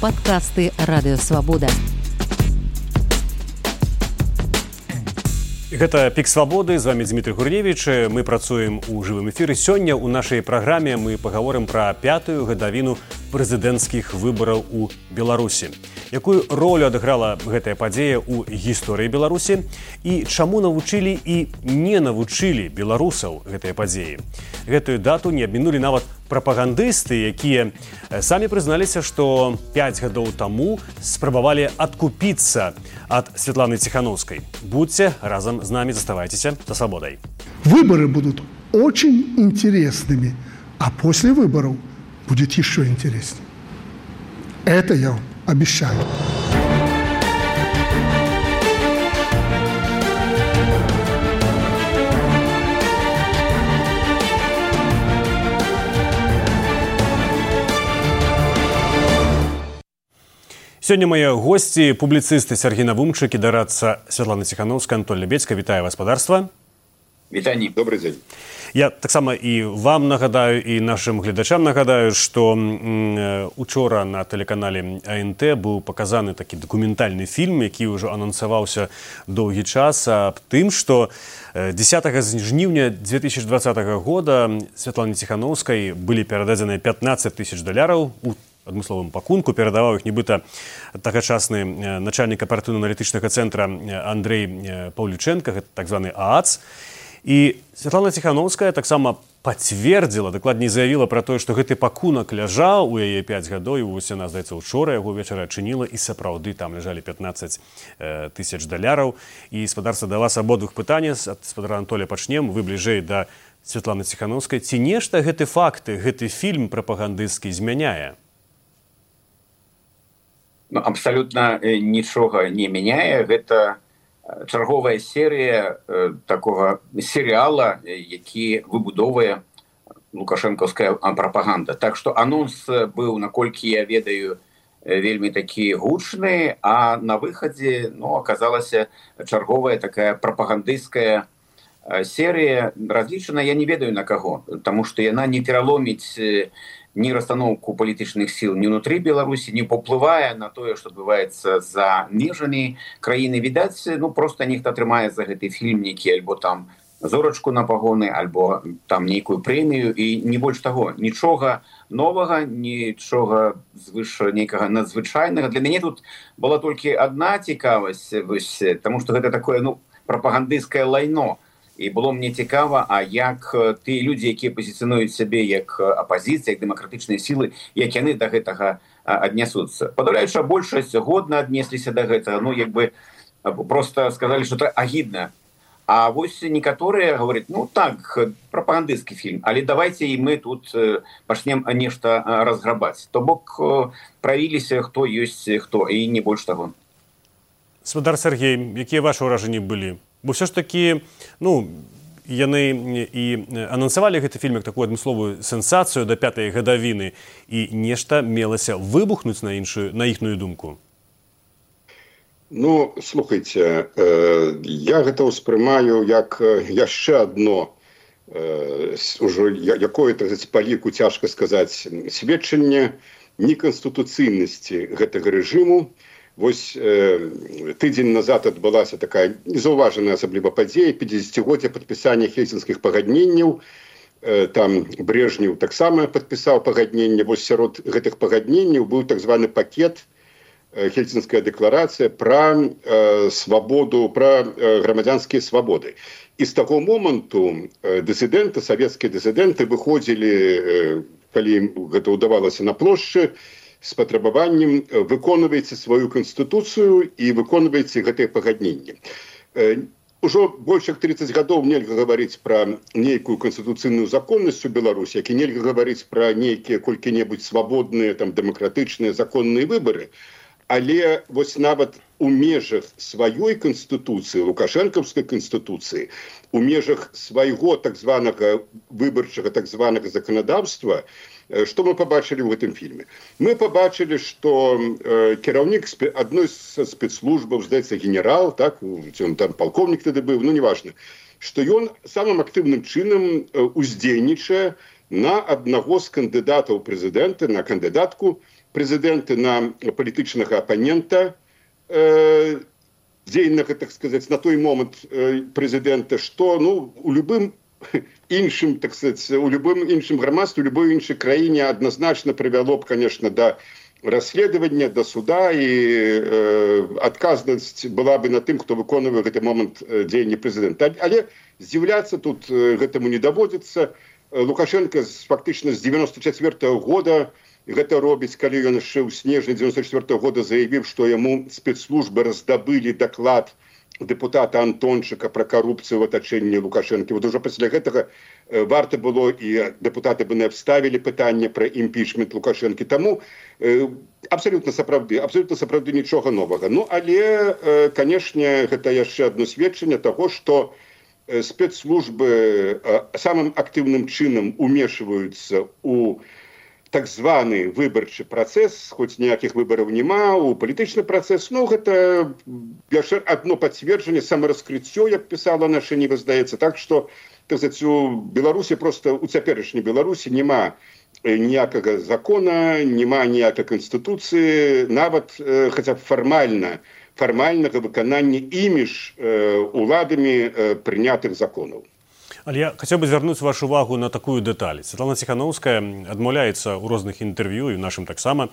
Падкасты Радыёвабода. Гэта «Пік свабоды», з вами Дмітрий Гурневіч. Мы працуем у жывым эфіры. Сёння ў нашай праграме мы пагаворым пра 5-ю гадавіну прэзідэнцкіх выбараў у Беларусі. Якую ролю адыграла гэтая падзея ў гісторыі Беларусі і чаму навучылі і не навучылі беларусаў гэтыя падзеі. Гэтую дату не абмінулі нават прапагандысты, якія самі прызналіся, што 5 гадоў таму спрабавалі адкупіцца ад Светланы Ціхановскай. Будьце разам з намі, заставайцеся за свободой. Выборы будут очень интересными, а после выборов будет еще интереснее. Это я вам обещаю. Сёння мае госці, публіцысты Сергей Навумчык і дарадца Святлана Ціхановская, Антон Лебедзька. Вітаю гаспадарства. Вітанне, добрый дзень. Я таксама і вам нагадаю, і нашим гледачам нагадаю, што учора на тэлеканале АНТ быў паказаны такі дакументальны фільм, які ўжо анансаваўся доўгі час, аб тым, што 10 жніўня 2020 года Святлане Ціхановскай былі перададзеныя $15 000 у адмысловым пакунку, перадаваў іх нібыта тагачасны начальнік аператыўна-аналітычнага цэнтра Андрэй Паўлічэнка, гэта так званы ААЦ. І Светлана Ціхановская таксама пацвердзіла, дакладней заявіла пра тое, што гэты пакунак ляжаў у яе 5 гадоў, і вось яна, здаецца, учора яго вечара адчыніла, і сапраўды там ляжалі $15 000. І, спадарства, да вас абодвух пытанне, ад спадара Анатолія пачнем, вы бліжэй да Светланы Ціхановскай. Ці нешта гэты факты, гэты фільм прапагандысцкі змяняе? Абсолютно нічога не мяняе. Гэта чарговая серія такого серіала, які выбудовує лукашэнкаўская прапаганда. Так што анонс быў, наколькі я ведаю, вельмі такі гучны, а на выхадзе аказалася чарговая такая прапагандысцкая серія, разлічана, я не ведаю на каго, таму што яна не пераломіць ні расстаноўку палітычных сіл ні ўнутры Беларусі, не паўплывае на тое, што адбываецца за межамі краіны. Відаць, проста нехта атрымае за гэты фільм нейкі альбо там зорачку на пагоны, альбо там нейкую прэмію, і не больш таго. Нічога новага, нічога звыш нейкага надзвычайнага. Для мяне тут была толькі адна цікавасць, таму што гэта такое, прапагандысцкае лайно. І было мне цікава, а як тыя людзі, якія пазіцыянуюць сябе як апазіцыя, як дэмакратычныя сілы, як яны да гэтага аднясуцца. Падаўляючая большасць годна аднесліся да гэтага, проста сказалі, што это агідна. А вось некаторыя говораць, так, прапагандысцкі фільм, але давайте і мы тут пачнем нешта разграбаць. То бок правіліся, хто ёсць хто, і не больш таго. Спадар Сергей, якія вашы ўражанні былі? Бо все ж такі, яны і анансавалі гэты фільм як такую адмысловую сенсацыю да 5-й гадавіны, і нешта мелася выбухнуць на іхную думку. Слухайце, я гэта ўспрымаю як яшчэ адно, ужо якое-то па ліку цяжка сказаць, сведчанне неканстытуцыйнасці гэтага рэжыму. Вось тыдзень назад адбылася такая незаўважаная асабліва падзея, 50-годдзе падпісання хельсінскіх пагадненняў. Там Брежнев таксама падпісаў пагадненне. Вось сярод гэтых пагадненняў быў так званы пакет, хельсінская дэкларацыя пра свабоду, пра грамадзянскія свабоды. І з таго моманту дысідэнты, савецкія дысідэнты выходзілі, калі ім гэта ўдавалася, на плошчы, з патрабаваннем выконвайце сваю канстытуцыю і выконвайце гэтыя пагадненні. Ужо больш як 30 гадоў нельга гаварыць пра нейкую канстытуцыйную законнасць у Беларусі, як і нельга гаварыць пра нейкія колькі-небудзь свабодныя, дэмакратычныя законныя выбары. Але вось нават у межах сваёй канстытуцыі, лукашэнкаўскай канстытуцыі, у межах свайго так званага выбарчага так званага заканадаўства, што мы пабачылі ў гэтым фільме? Мы пабачылі, што кіраўнік адной з спецслужбаў, здаецца, генерал, так, ён там палкоўнік тады быў, неважна, што ён самым актыўным чынам уздзейнічае на аднаго з кандыдатаў прэзідэнта, на кандыдатку прэзідэнта, на палітычнага апанента дзейнага, так сказаць, на той момант прэзідэнта, што у любым іншым, так сказаць, у любым іншым грамадстве, у любой іншай краіне адназначна прывяло б, конечно, да расследавання, да суда, і адказнасць была бы на тым, хто выконвае гэты момант дзеяння прэзідэнта. Але здзіўляцца тут гэтаму не даводзіцца. Лукашенко фактычна з 94-го года гэта робіць, калі ён яшчэ ў снежні 94-го года заявіў, што яму спецслужбы раздабылі даклад депутата Антончыка пра карупцыю в атачэнні Лукашэнкі. Вот ужо пасля гэтага варта было, і депутаты бы не абставілі пытанне пра імпічмент Лукашэнкі. Таму абсалютна сапраўды нічога новага. Але, канешне, гэта яшчэ адно сведчанне таго, што спецслужбы самым актыўным чынам умешваюцца ў так званы выбарчы працэс, хоць ніякіх выбараў няма, у палітычны працэс. Гэта яшчэ адно пацверджанне, самараскрыццё, як пісала наша Ніва, здаецца. Так што, так сказаць, у Беларусі, проста у цяперашняй Беларусі няма ніякага закона, няма ніякай канстытуцыі, нават хаця б фармальнага выканання імі ж уладамі прынятых законаў. Але я хацеў бы звярнуць вашу увагу на такую дэталь. Светлана Ціханаўская адмаўляецца ў розных інтэрв'ю, і ў нашым таксама,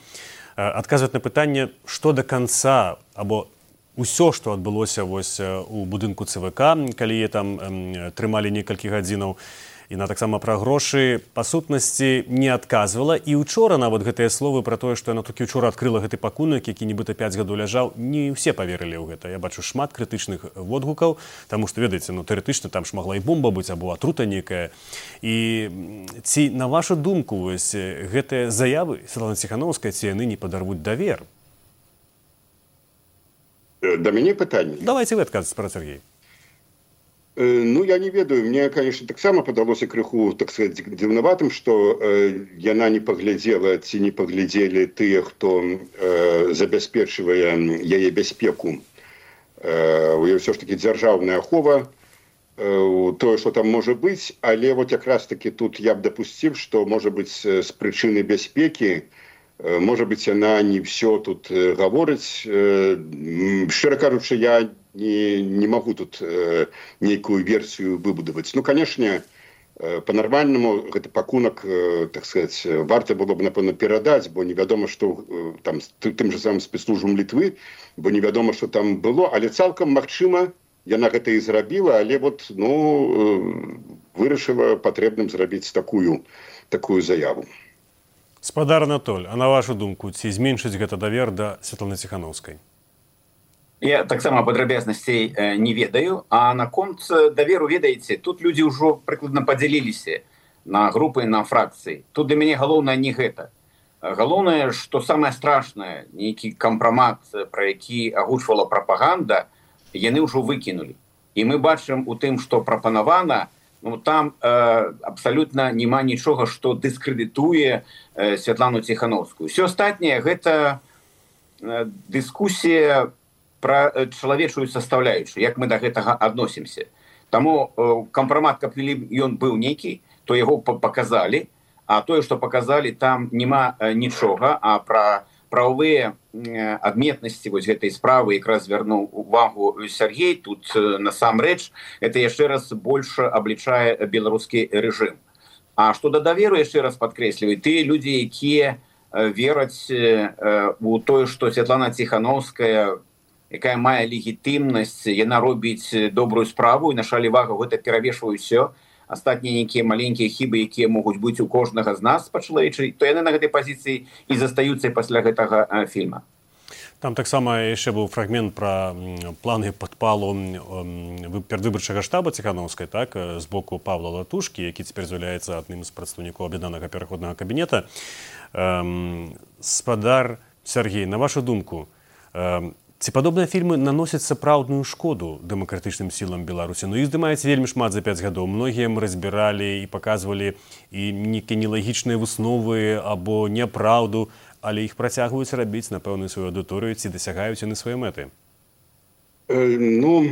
адказваць на пытанне, што да канца, або ўсё, што адбылося у будынку ЦВК, калі яе там трымалі некалькі гадзінаў, і на таксама пра грошы, па сутнасці не адказвала. І учора нават гэтыя словы пра тое, што яна толькі учора адкрыла гэты пакунак, які нібыта 5 гадоў ляжаў, не ўсе паверылі ў гэта. Я бачу шмат крытычных водгукаў, таму што, ведаеце, тэарэтычна там ж магла і бомба быць, або атрута нейкая. І ці, на вашу думку, гэтыя заявы Светланы Ціханаўскай, ці яны не падарвуць давер? Да мяне пытанне. Давайте вы адказваць пра Сергей. Я не ведаю, мне, конечно, таксама падалося крыху, так сказать, дзіўнаватым, што яна не паглядзела ці не паглядзелі тыя, хто забяспечвае яе бяспеку. У яе ўсё ж таки дзяржаўная ахова, тое, што там можа быць, але вот якраз таки тут я б дапусціў, што можа быць з прычыны бяспекі, можа быць, яна не ўсё тут гаворыць. Шчыра кажучы, я не могу тут нейкую версію выбудаваць. Канешне, па-нармальнаму гэты пакунак, так сказать, варта было б, напэўна, перадаць, бо невядома, што там тым же самым спецслужбам Літвы, бо невядома, што там было, але цалкам магчыма, яна гэта і зрабіла, але вот, вырашыла патрэбным зрабіць такую заяву. Спадар Анатоль, а на вашу думку, ці зменшыць гэта давер да Светланы Ціханаўскай? Я таксама падрабязнасцей не ведаю, а наконт даверу, ведаеце, тут людзі ўжо прыкладна падзяліліся на групы, на фракцыі. Тут для мяне галоўнае не гэта. Галоўнае, што самае страшнае, нейкі кампрамат, пра які агучвала прапаганда, яны ўжо выкінулі. І мы бачым у тым, што прапанавана, там абсалютна няма нічога, што дыскрэдытуе Светлану Ціханаўскую. Усё астатняе гэта дыскусія пра чалавечую састаўляючую, як мы да гэтага адносімся. Таму кампрамат, каб ён быў нейкі, то яго паказалі, а тое, што паказалі, там няма нічога, а пра прававыя адметнасці гэтай справы якраз звярнуў увагу Сергей. Тут насамрэч гэта яшчэ раз больш аблічае беларускі рэжым. А што да даверу, яшчэ раз падкрэсліваю, тыя людзі, якія вераць у тое, што Светлана Ціханаўская, якая мае легітымнасць, яна робіць добрую справу, і на шалі вага гэта перавешвае ўсё. Астатнія нейкія маленькія хібы, якія могуць быць у кожнага з нас па-чалавечай, то яны на гэтай пазіцыі і застаюцца пасля гэтага фільма. Там таксама яшчэ быў фрагмент пра планы падпалу перадвыбарчага штаба Ціханаўскай, так, з боку Павла Латушкі, які цяпер з'яўляецца адным з прадстаўнікоў аб'яднанага пераходнага кабінета. Спадар Сергей, на вашу думку, ці падобныя фільмы наносяць сапраўдную шкоду дэмакратычным сілам Беларусі? Іх здымаецца вельмі шмат за 5 гадоў. Многія ім разбіралі і паказвалі і нейкія нелагічныя высновы або няпраўду, але іх працягваюць рабіць на пэўную сваю аўдыторыю, ці дасягаюць яны свае мэты? Ну,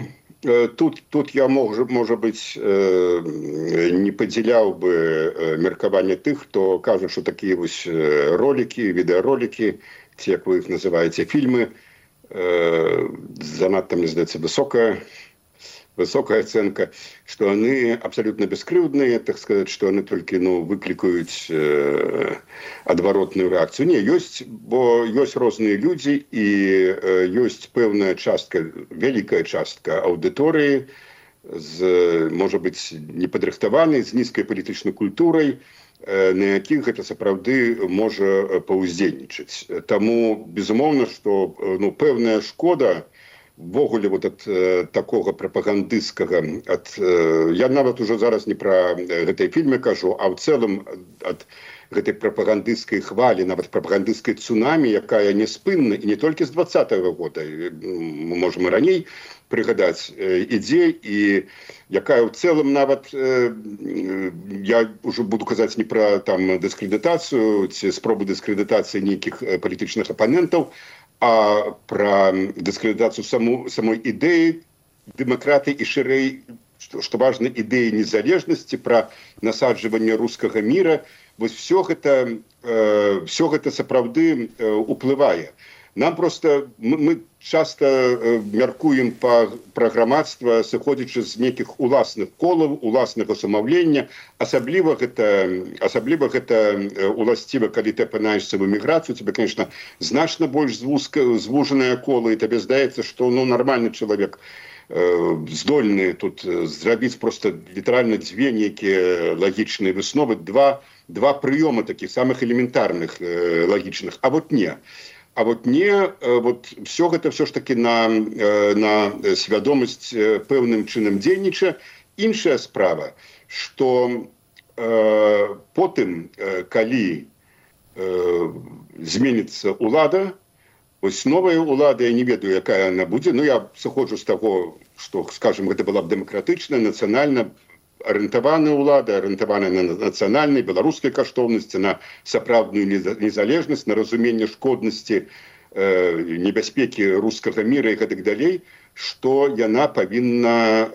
тут я, может быть, не падзяляў бы меркаванне тых, хто кажа, што такія вось ролики, відэаролики, ці, як вы іх называеце, фільмы, занадта, мне здаецца, высокая оценка, что они абсолютно бескрыўдныя, так сказать, что они только выкликают адваротную реакцию. Не, бо есть разные люди, и есть пэўная частка, великая частка аудитории, может быть, непадрыхтаванай, з нізкай палітычнай культурай, на якіх гэта сапраўды можа паўздзейнічаць. Таму, безумоўна, што пэўная шкода ввогуле вот ад такога прапагандысцкага, я нават ужо зараз не пра гэтыя фільмы кажу, а ў цэлым ад гэтай прапагандысцкай хвалі, нават прапагандысцкай цунамі, якая няспынна, і не толькі з 20-го года, мы можам і раней прыгадаць, ідзе, і якая ў цэлым нават, я ўжо буду казаць не пра там дыскрэдытацыю ці спробы дыскрэдытацыі нейкіх палітычных апанентаў, а пра дыскрэдытацыю самой ідэі дэмакратыі і шырэй, што важна, ідэі незалежнасці, пра насаджванне рускага міра. Вось все гэта сапраўды уплывае. Нам просто, мы часто мяркуем пра грамадства, сыходзячы з нейкіх уласных колаў, уласнага самаўлення. Асабліва гэта уласціва, калі ты апынаешся в эміграцыю, тебе, конечно, значна больш звужанае кола, і табе здаецца, што нармальны чалавек здольны тут зрабіць просто літаральна дзве нейкія лагічныя высновы, два прыёмы такіх самых элементарных лагічных, а вот не. А вот все гэта все ж таки на свядомасць пэўным чынам дзейнічае. Іншая справа, што потым, калі зменіцца ўлада, вось новая ўлада, я не ведаю, якая яна будзе, я сыходжу з таго, што, скажем, гэта была б дэмакратычная, нацыянальна арыентаваная ўлада, арыентаваная на нацыянальнай, беларускай каштоўнасці, на сапраўдную незалежнасць, на разуменне шкоднасці, небяспекі рускага міра і гэтак далей, што яна павінна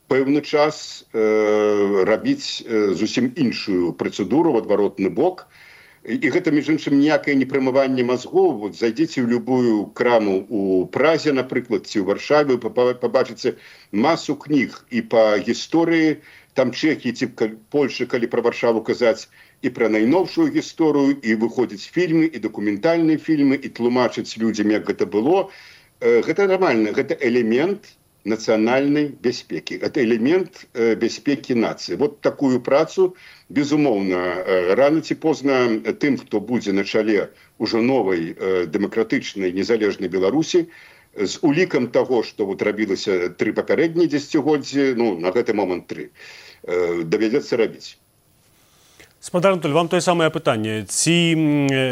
пэўны час рабіць зусім іншую працэдуру в адваротны бок. І гэта, між іншым, ніякае не прымыванне мазгоў. Вот зайдзіце ў любую краму у Празе, напрыклад, ці ў Варшаве, пабачыце масу кніг і па гісторыі, там Чэхіі ці Польшы, калі пра Варшаву казаць, і пра найноўшую гісторыю, і выходзяць фільмы, і дакументальныя фільмы, і тлумачаць людзям, як гэта было. Гэта нармальна, гэта элемент нацыянальнай бяспекі. Это элемент бяспекі нацыі. Вот такую працу, безумоўна, рано ці позна тым, хто будзе на чале ўжо новай дэмакратычнай незалежнай Беларусі, з улікам таго, што рабілася 3 папярэднія дзесяцігоддзі, на гэты момант 3, давядзецца рабіць. Спадар Анатоль, вам тое самае пытанне. Ці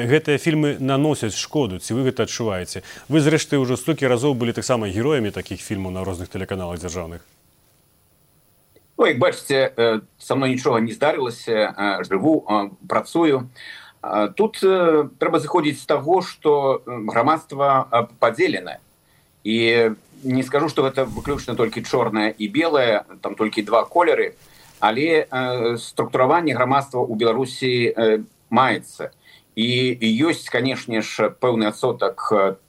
гэтыя фільмы наносяць шкоду, ці вы гэта адчуваеце? Вы, зрэшты, ўжо столькі разоў былі таксама героямі такіх фільмаў на розных тэлеканалах дзяржаўных. Як бачыце, са мной нічога не здарылася, жыву, працую. Тут трэба зыходзіць з таго, што грамадства падзеленае. І не скажу, што гэта выключна толькі чорнае і белае, там толькі 2 колеры, але структураванне грамадства ў Беларусі маецца. І ёсць, канешне ж, пэўны адсотак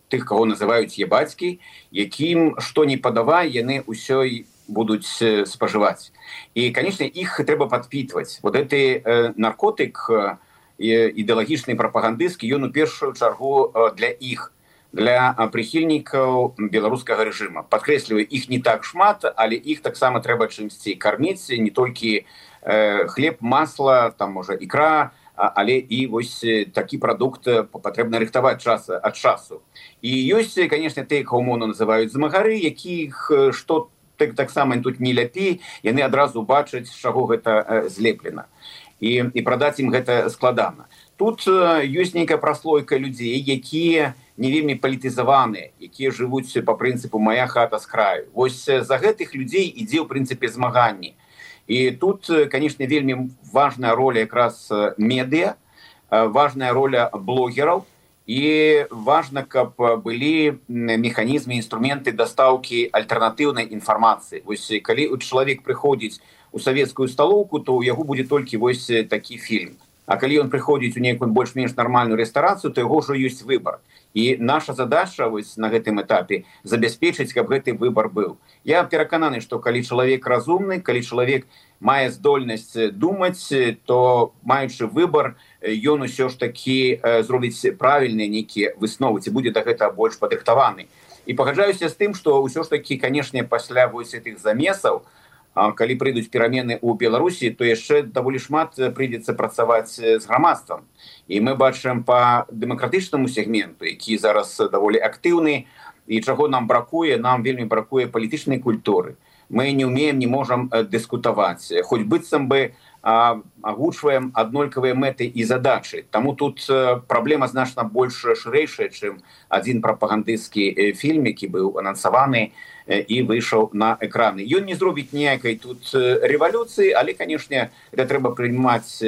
тых, каго называюць ебацькі, якім што не падавай, яны ўсё будуць спажываць. І, канешне, іх трэба падпітваць. Вот гэты наркотык ідэалагічны, прапагандысцкі, ён у першую чаргу для іх, для прыхільнікаў беларускага рэжыма. Падкрэсліваю, іх не так шмат, але іх таксама трэба чымсьці карміць, не толькі хлеб, масла, там, можа, ікра, але і вось такі прадукт патрэбна рыхтаваць ад часу. І ёсць, канешне, тыя, каго умоўна называюць змагары, якіх што таксама тут не ляпей, яны адразу бачаць, з чаго гэта злеплена. І прадаць ім гэта складана. Тут ёсць нейкая праслойка людзей, якія не вельмі палітызаваныя, якія жывуць па прынцыпу «мая хата з краю». Вось за гэтых людзей ідзе, ў прынцыпе, змаганне. І тут, канешне, вельмі важная роля якраз медыа, важная роля блогераў і важна, каб былі механізмы, інструменты дастаўкі альтэрнатыўнай інфармацыі. Вось калі чалавек прыходзіць у савецкую сталоўку, то ў яго будзе толькі вось такі фільм. А калі ён прыходзіць у нейкую больш-менш нармальную рэстарацыю, то яго ўжо ёсць выбар. І наша задача вось на гэтым этапе забяспечыць, каб гэты выбар быў. Я перакананы, што калі чалавек разумны, калі чалавек мае здольнасць думаць, то маючы выбар, ён усё ж такі зробіць правільныя нейкія высновы, ці будзе да гэтага больш падрыхтаваны. І пагаджаюся з тым, што ўсё ж такі, канешне, пасля вось гэтых замесаў, калі прыйдуць перамены ў Беларусі, то яшчэ даволі шмат прыйдзецца працаваць з грамадствам. І мы бачым па дэмакратычнаму сегменту, які зараз даволі актыўны, і чаго нам бракуе, нам вельмі бракуе палітычнай культуры. Мы не умеем, не можам дыскутаваць, хоць быццам бы агучваем аднолькавыя мэты і задачы. Таму тут праблема значна больш шырэйшая, чым адзін прапагандысцкі фільм, які быў анансаваны і выйшаў на экраны. Ён не зробіць ніякай тут рэвалюцыі, але, канешне, гэта трэба прыймаць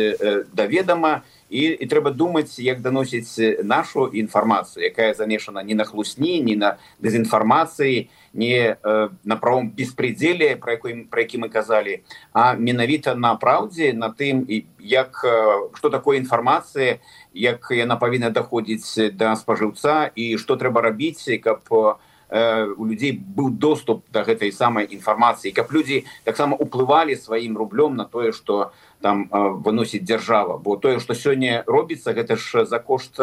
да ведама, і трэба думаць, як даносіць нашу інфармацыю, якая замешана не на хлусні, не на дэзінфармацыі, не на правом беспредзеле, про які мы казалі, а менавіта на праўдзе, на тым, што такое інфармацыя, як яна павінна даходзіць да спажыўца і што трэба рабіць, каб у людзей быў доступ да гэтай самай інфармацыі, каб людзі таксама уплывалі сваім рублём на тое, што там выносіць дзяржава. Бо тое, што сёння робіцца, гэта ж за кошт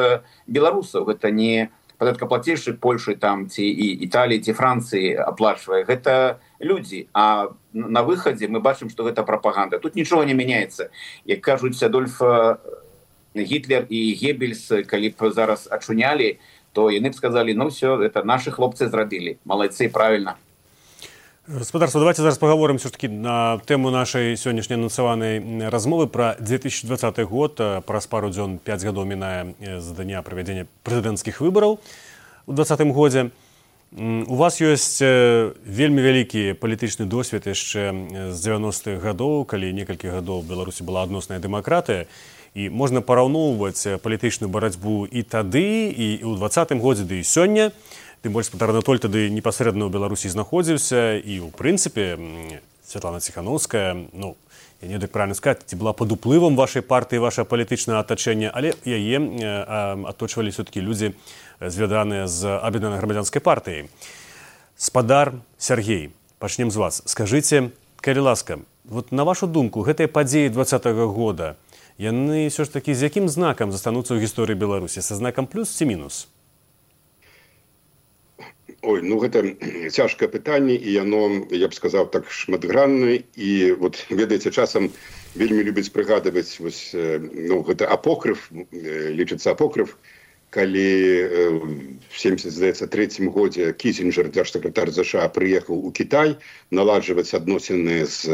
беларусаў. Гэта не падаткаплацельшчык Польшы там, ці Італіі, ці Францыі аплачвае. Гэта людзі. А на выхадзе мы бачым, што гэта прапаганда. Тут нічога не мяняецца. Як кажуць, Адольф Гітлер і Геббельс, калі б зараз ачунялі, то яны б сказалі, ну все, это наши хлопцы зрабілі. Малайцы, правильно. Гаспадарства, давайте зараз поговорим все-таки на тему нашей сегодняшней анонсованной размовы про 2020 год. Праз пару дзён 5 гадоў мінае з дня правядзення прэзідэнцкіх выбараў у 2020 годзе. У вас ёсць вельмі вялікі палітычны досвед яшчэ з 90-х гадоў, калі некалькі гадоў у Беларусі была адносная дэмакратыя. І можна параўноўваць палітычную барацьбу і тады, і ў 2020 годзе, ды і сёння. Тым больш, Петр Анатоль тады непасрэдна ў Беларусі знаходзіўся, і ў прынцыпе Святлана Ціханаўская, ну, я не ведаю, як правильна сказаць, ці была пад уплывам вашай партыі, вашае палітычнае атачэнне, але яе аточвалі все-таки людзі, звязаныя з Аб'яднанай грамадзянскай партыяй. Спадар Сяргей, пачнем з вас. Скажыце, калі ласка, вот на вашу думку, гэтыя падзеі 2020 года, яны все ж таки з якім знакам застануцца ў гісторыі Беларусі? Са знакам плюс ці мінус? Ой, ну гэта цяжкае пытанне, і яно, я б сказаў, так шматграннае. І вот, ведаеце, часам вельмі любяць прыгадваць, вось, ну, гэта апокрыф, лічыцца апокрыф, калі в 1973 годзе Кісінджер, дзяржсакратар США, прыехаў у Кітай наладжваць адносіны з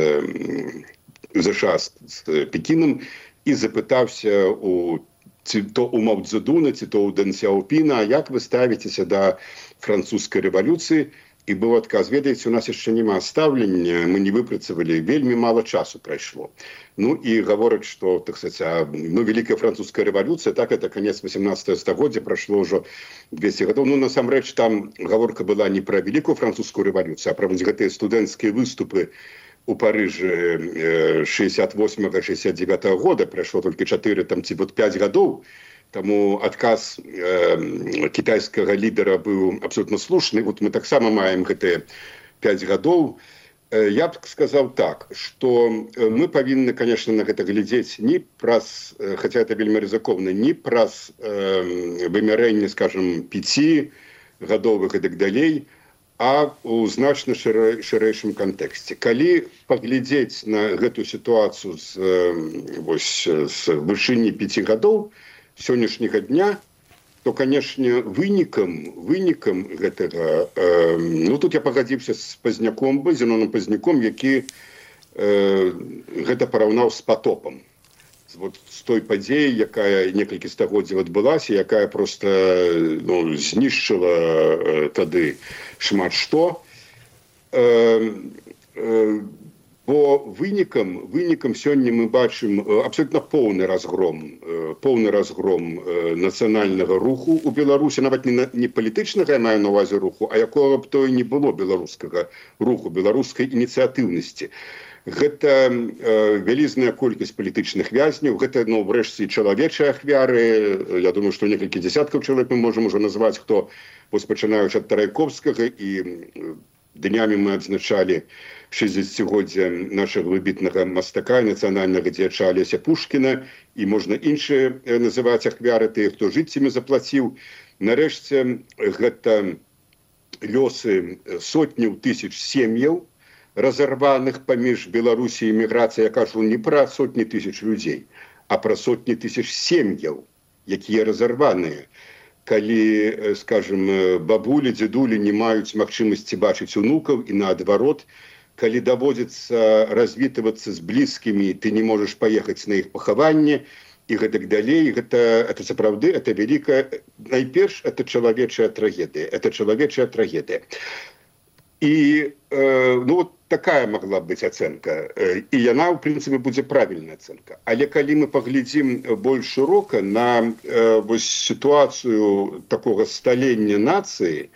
США з Пекінам і запытаўся то у Мао Цзэдуна, ці то у Дэн Сяопіна, як вы ставіцеся да французскай рэвалюцыі? І быў адказ, ведаеце, у нас яшчэ няма стаўлення, мы не выпрацавалі, вельмі мала часу прайшло. Ну і гавораць, што, так сказаць, ну, вялікая французская рэвалюцыя, так, это канец 18 стагоддзя, прайшло ўжо 200 гадоў. Ну, насамрэч, там гаворка была не пра вялікую французскую рэвалюцыю, а пра вось гэтыя студэнцкія выступы у Парыжы 68-69 года, прайшло толькі 4 там, ці вот 5 гадоў. Таму адказ кітайскага лідара быў абсолютно слушны. Вот мы таксама маем гэтыя 5 гадоў. Я б сказаў так, што мы павінны, конечно, на гэта глядзець не праз, хаця это вельмі рызыкоўна, не праз вымярэнне, скажем, 5-гадовых і так далей, а ў значна шырэйшым кантэксце. Калі паглядзець на гэту сітуацыю з вышыні 5 гадоў сённяшняга дня, то, канешне, вынікам гэтага, ну, тут я пагадзіўся з Пазняком, Зеноном Пазняком, які гэта параўнаў з патопам. Вот з той падзеяй, якая некалькі стагоддзяў адбылася, якая проста, ну, знішчыла тады шмат што. Бо вынікам сёння мы бачым абсолютно поўны разгром нацыянальнага руху у Беларусі, нават не палітычнага, я маю на ўвазе руху, а якога б то і не было беларускага руху, беларускай ініцыятыўнасці. Гэта вялізная колькасць палітычных вязняў, гэта, врэшце, чалавечыя ахвяры. Я думаю, што некалькі дзясяткаў чалавек мы можам ужо назваць, хто, пачынаючы ад Тарайковскага, і днямі мы адзначалі 60-годдзя нашага выбітнага мастака, нацыянальнага дзеяча Алеся Пушкіна, і можна іншыя называць ахвяры, тыя, хто жыццямі заплаціў. Нарэшце, гэта лёсы сотняў тысяч сем'яў, разорваных паміж Беларусі і міграцыяй. Я кажу не пра сотні тысяч людзей, а пра сотні тысяч сем'яў, якія разорваныя. Калі, скажем, бабулі, дзедулі не маюць магчымасці бачыць унукаў, і наадварот, калі даводзіцца развітвацца з блізкімі, ты не можаш паехаць на іх пахаванне, і гэтак далей. Гэта сапраўды, это вялікая, найперш, это чалавечая трагедыя. І такая магла быць ацэнка. І яна, у прынцыпе, будзе правільная ацэнка. Але калі мы паглядзім больш шырока на сітуацыю такога сталення нацыі,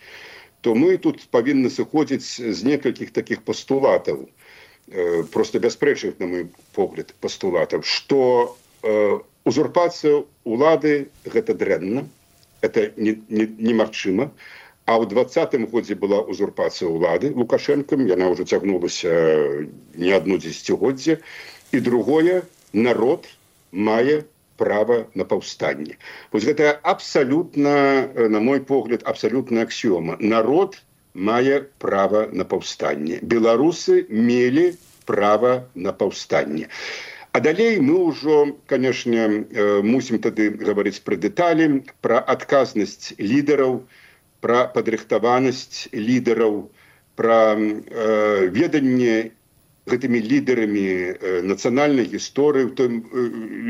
то мы тут павінны сыходзіць з некалькіх такіх пастулатаў, проста бяспрэчных, на мой погляд, пастулатаў, што узурпацыя ўлады – гэта дрэнна, это немагчыма. А ў 20-м годзе была узурпацыя ўлады Лукашэнкам, яна ўжо цягнулася не адно дзесяцігоддзе. І другое, народ мае права на паўстанне. Вось гэта абсалютна, на мой погляд, абсалютная аксіёма. Народ мае права на паўстанне. Беларусы мелі права на паўстанне. А далей мы ўжо, канешне, мусім тады гаварыць пра дэталі, пра адказнасць лідараў, пра падрыхтаванасць лідараў, пра веданне гэтымі лідарамі нацыянальнай гісторыі, у тым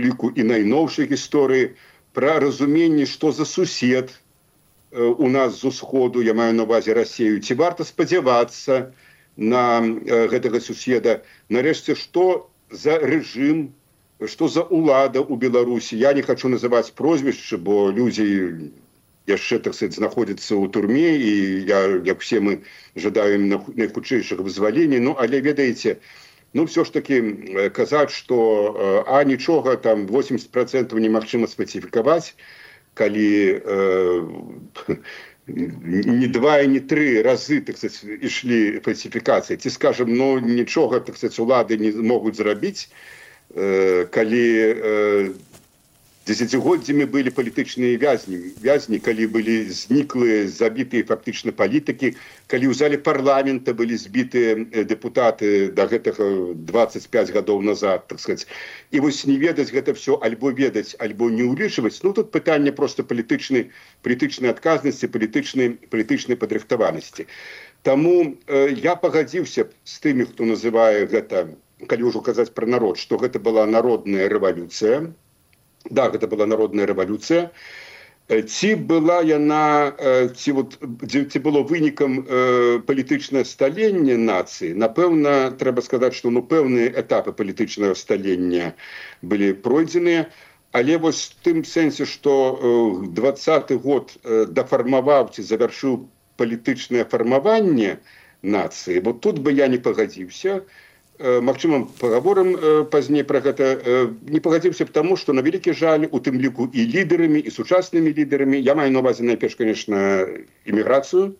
ліку і найноўшай гісторыі, пра разуменне, што за сусед у нас з усходу, я маю на ўвазе Расею, ці варта спадзявацца на гэтага суседа. Нарэшце, што за рэжым, што за ўлада ў Беларусі. Я не хачу называць прозвішчы, бо людзі яшчэ, так сказать, знаходзяцца ў турме, і як все мы жадаем найхутчэйшага вызвалення. Але ведаеце, все ж таки казаць, што нічога, там 80% немагчыма спецыфікаваць, калі не 2 і не 3 разы, так сказать, ішлі фальсіфікацыі. Ці, скажем, нічога, так сказать, улады не могуць зрабіць, калі дзесяцігоддзямі былі палітычныя вязні, калі былі зніклыя, забітыя фактычна палітыкі, калі ў зале парламента былі збітыя дэпутаты да гэтага 25 гадоў назад, так сказать. І вось не ведаць гэта все, альбо ведаць, альбо не ўлічваць. Тут пытанне проста палітычнай адказнасці, палітычнай падрыхтаванасці. Таму я пагадзіўся з тымі, хто называе гэта, калі ўжо казаць пра народ, што гэта была народная рэвалюцыя. Да, гэта была народная рэвалюцыя. Ці была яна, ці было вынікам палітычнае сталення нацыі? Напэўна, трэба сказаць, што пэўныя этапы палітычнага сталення былі пройдзеныя, але вось в тым сэнсе, што 20-й год дафармаваў ці завяршыў палітычнае фармаванне нацыі, бо тут бы я не пагадзіўся. Магчыма, пагаворым пазней пра гэта. Не пагадзіўся б таму, што на вялікі жаль, у тым ліку і лідарамі, і сучаснымі лідарамі, я маю на ўвазе найперш, конечно, іміграцыю,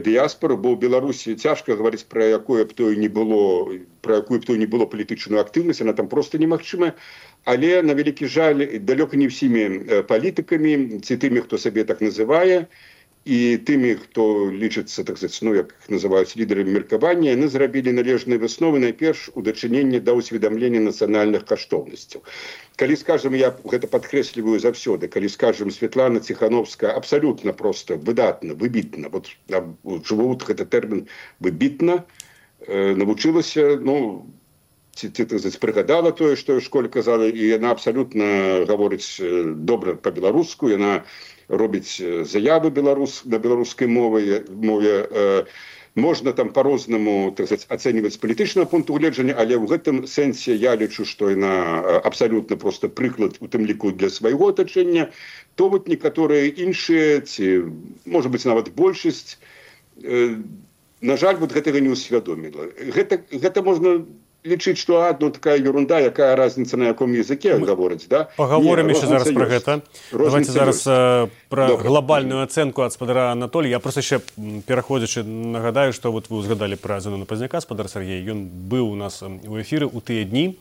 дыяспору, бо ў Беларусі цяжка гаварыць пра якую б то не было палітычную актыўнасць, она там проста немагчымая. Але на вялікі жаль, далёка не ўсімі палітыкамі, ці тымі, хто сабе так называе, і тымі, хто лічыцца, так сказать, як называюць лідарамі меркавання, яны зрабілі належныя высновы найперш у дачыненні да ўсведамлення нацыянальных каштоўнасцяў. Калі, скажем, я гэта падкрэсліваю заўсёды, калі, скажем, Светлана Ціхановская абсалютна проста выдатна, выбітна, жыву гэта тэрмін выбітна, навучылася, ці прыгадала тое, што ў школе казала, і яна абсалютна гаворыць добра па-беларуску, яна робіць заявы на беларускай мове. можна там по-рознаму, так сказать, ацэньваць з палітычнага пункту гледжання, але ў гэтым сэнсе я лічу, што яна абсалютна просто прыклад у тым ліку для свайго атачэння, то вот некаторыя іншыя, ці, можа быць, нават большасць, на жаль, вот гэтага не ўсвядоміла. Гэта можна лічыць, што такая ерунда, якая разница на яком языке гавораць, да? Паговорым яшчэ зараз пра гэта. Давайте зараз пра глобальную ацэнку ад спадара Анатолія. Я просто яшчэ пераходзячы нагадаю, што вот вы узгадалі пра Зенона Пазняка, спадар Сергей. Ён быў у нас у эфіры ў тыя дні.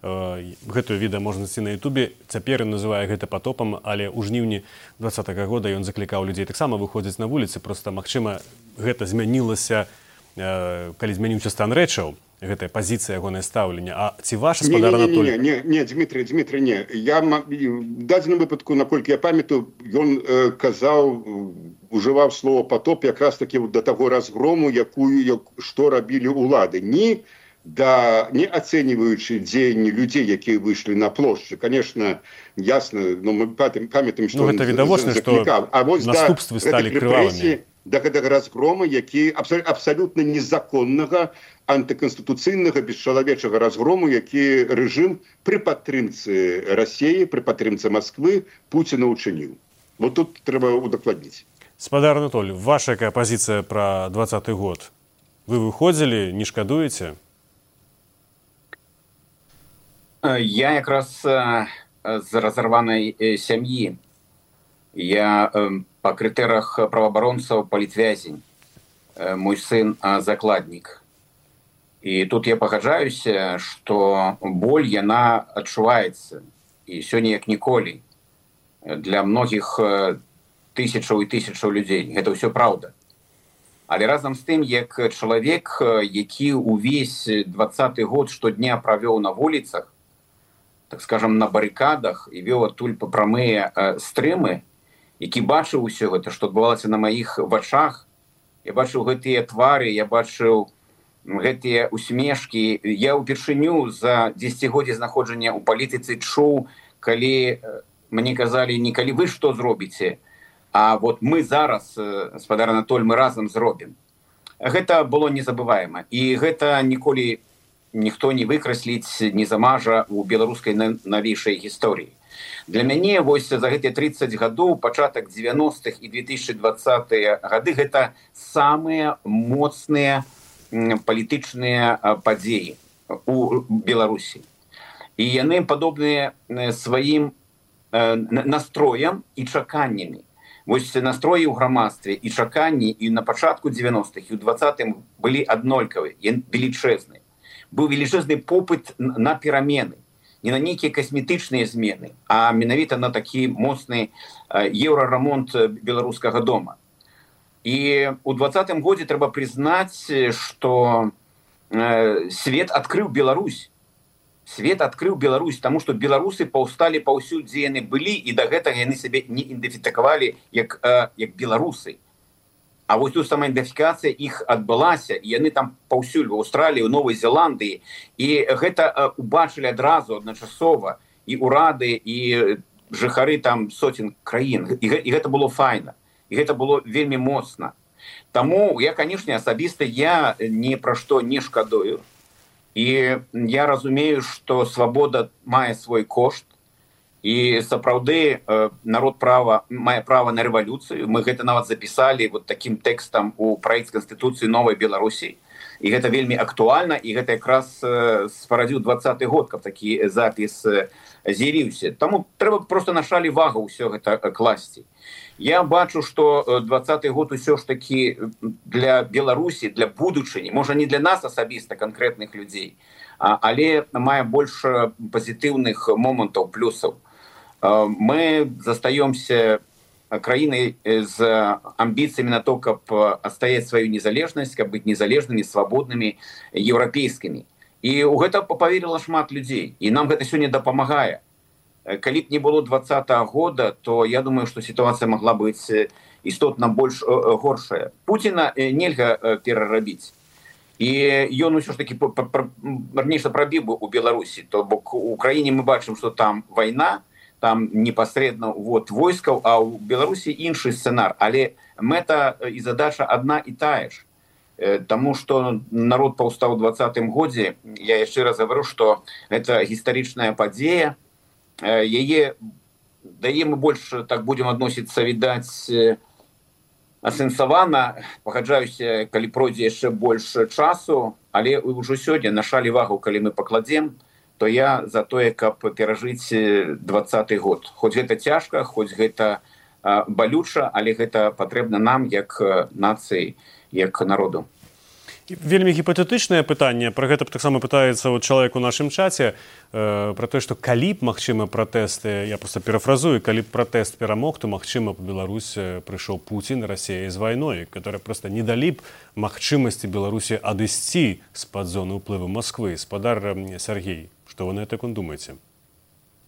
Гэтую відэа можна знайсці на Ютубе. Цяпер ён называе гэта патопам, але ў жніўні 2020 года ён заклікаў людзей таксама выходзіць на вуліцы. Просто, магчыма, гэта змянілася, калі змяніўся стан рэчаў. Гэтая пазіцыя ягонае стаўлення. А ці ваш спадар Анатолій? Не, Дмітрий, не. Я в дадзеным выпадку, наколькі я памятаю, ён казаў, ужываў слово «патоп» якраз таки да таго разгрому, што рабілі ўлады. Не ацэньваючы дзеянні людзей, якія выйшлі на плошчы. Конечно, ясна, но мы памятаем, што гэта відавочна, што наступствы сталі крывавымі. Да гэтага разгрома, які абсалютна незаконнага, антыканстытуцыйнага, бесчалавечага разгрому, які рэжым пры падтрымцы Расіі, пры падтрымцы Масквы Пуціна ўчыніў. Вот тут трэба удакладніць. Спадар Анатолій, ваша якая пазіцыя пра 2020 год? Вы выходзілі, не шкадуеце? Я якраз з разарванай сям'і. Я по крытэрах праваабаронцаў палітвязень. Мой сын закладнік. І тут я пагаджаюся, што боль, яна адчуваецца. І сёння як ніколі. Для многіх тысячаў і тысячаў людзей. Гэта ўсё праўда. Але разам з тым, як чалавек, які ўвесь 2020 год штодня правёў на вуліцах, так скажам, на барыкадах і вёў адтуль па прамыя стрымы, які бачыў усё гэта, што адбывалася на маіх вачах, я бачыў гэтыя твары, я бачыў гэтыя усмешкі. Я ўпершыню за 10годдзе знаходжання ў палітыцы чуў, калі мне казалі, не калі вы што зробіце, а вот мы зараз, спадар Анатоль, мы разам зробім. Гэта было незабываема. І гэта ніколі ніхто не выкрасліць, не замажа ў беларускай навейшай гісторыі. Для мяне вось за гэтыя 30 гадоў, пачатак 90-х і 2020-е гады, гэта самыя моцныя палітычныя падзеі у Беларусі. І яны падобныя сваім настроям і чаканнямі. Вось настроі ў грамадстве і чаканні і на пачатку 90-х і ў 20-м былі аднолькавыя, велічэзныя. Быў велічэзны попыт на перамены. Не на нейкія касметычныя змены, а менавіта на такі моцны еўрарамонт беларускага дома. І ў 2020 годзе трэба прызнаць, што свет адкрыў Беларусь. Свет адкрыў Беларусь, таму што беларусы паўсталі паўсюль, дзе яны былі, і да гэтага яны сябе не ідэнтыфікавалі як беларусы. А вось тут самаідэнтыфікацыя іх адбылася, і яны там паўсюль в Аўстраліі, у Новай Зеландыі, і гэта убачылі адразу адначасова і ўрады, і жыхары там соцень краін. І гэта было файна, і гэта было вельмі моцна. Таму я, канешне, асабіста я ні пра што не шкадую. І я разумею, што свабода мае свой кошт, і сапраўды народ мае права на рэвалюцыю. Мы гэта нават запісалі вот такім тэкстам у праект Канстытуцыі новай Беларусі. І гэта вельмі актуальна, і гэта якраз спарадзіў 2020 год, каб такі запіс з'явіўся. Таму трэба проста на шалі вагу ўсё гэта класці. Я бачу, што 2020 год усё ж такі для Беларусі, для будучыні, можа не для нас асабіста, канкрэтных людзей, але мае больш пазітыўных момантаў, плюсаў. Мы застаёмся краінай з амбіцыямі на то, каб адстаяць сваю незалежнасць, каб быць незалежнымі, свабоднымі, еўрапейскімі. І ў гэта паверыла шмат людзей, і нам гэта сёння дапамагае. Калі б не было 2020 года, то я думаю, што сітуацыя магла быць істотна больш горшая. Пуціна нельга перарабіць. І ён усё ж такі нешта прабіў бы ў Беларусі. То бок у краіне мы бачым, што там вайна, там непасрэдна войскаў, а ў Беларусі іншы сцэнар. Але мэта і задача адна і тая ж. Таму што народ паўстаў у 20-м годзе, я яшчэ раз гавару, што гэта гістарычная падзея, яе дае мы больш так будзем адносіцца, відаць, асэнсавана, пагаджаюся, калі пройдзе яшчэ больш часу, але ўжо сёння на шалі вагу, калі мы пакладзем, то я за тое, каб перажыць 20-й год. Хоць гэта цяжка, хоць гэта балюча, але гэта патрэбна нам, як нацыі, як народу. Вельмі гіпатэтычнае пытанне, пра гэта таксама пытаецца чалавек у нашым чаце, пра тое, што калі б, магчыма, пратэсты, я проста перафразую, калі б пратэст перамог, то, магчыма, па Беларусь прыйшоў Пуцін, Расія з вайной, которые проста не далі б магчымасці Беларусі адысці з-пад зоны ўплыву Масквы. Спадар Сергей, што вы на гэта думаеце?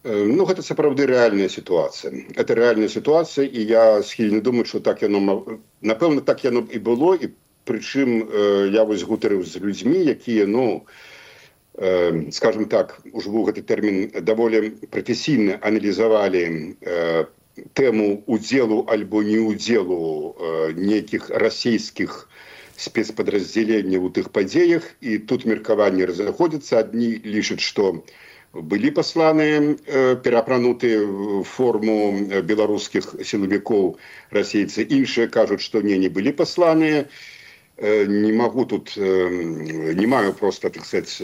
Ну, гэта сапраўды рэальная сітуацыя. Это рэальная сітуацыя, і я схільны думаць, што так яно, напэўна, так яно і было, і прычым я вось гутарыў з людзьмі, якія, ну, скажем так, ужо ў гэты тэрмін даволі прафесійна аналізавалі тэму удзелу альбо неудзелу нейкіх расійскіх спецпадраздзяленняў у тых падзеях, і тут меркаванні разыходзяцца. Адні лічаць, што былі пасланыя, пераапранутыя в форму беларускіх сілавікоў расейцы, іншыя кажуць, што не былі пасланыя. Не могу тут, не маю просто, так сказать,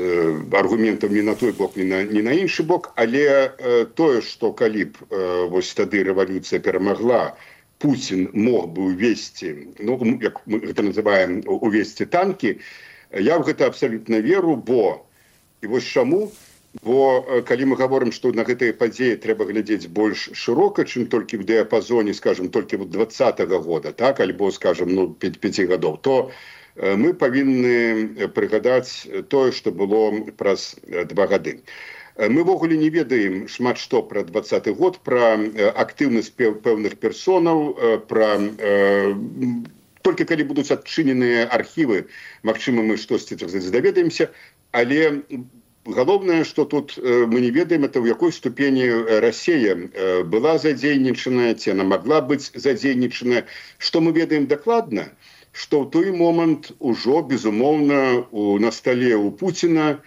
аргументов ни на той бок, ни на іншы бок, але тое, што калі б вось тады рэвалюцыя перамагла, Путин мог бы увесці, ну, як мы гэта называем, увесці танкі, я в гэта абсолютно веру, бо, і вось чаму, бо калі мы гаворым, што на гэтыя падзеі трэба глядзець больш шырока, чым толькі в дыяпазоне, скажем, толькі 20-го года, так, альбо, скажем, ну, 5 гадоў, то мы павінны прыгадаць тое, што было праз 2 гады. Мы ввогуле не ведаем шмат што пра 20-й год, пра актыўнасць пэўных персонаў, пра толькі калі будуць адчыненыя архівы, магчыма, мы штосьці даведаемся, але галоўнае, што тут мы не ведаем, это ў якой ступені Расія была задзейнічаная, ці она магла быць задзейнічаная. Што мы ведаем дакладна, што ў той момант ужо, безумоўна, на стале у Пуціна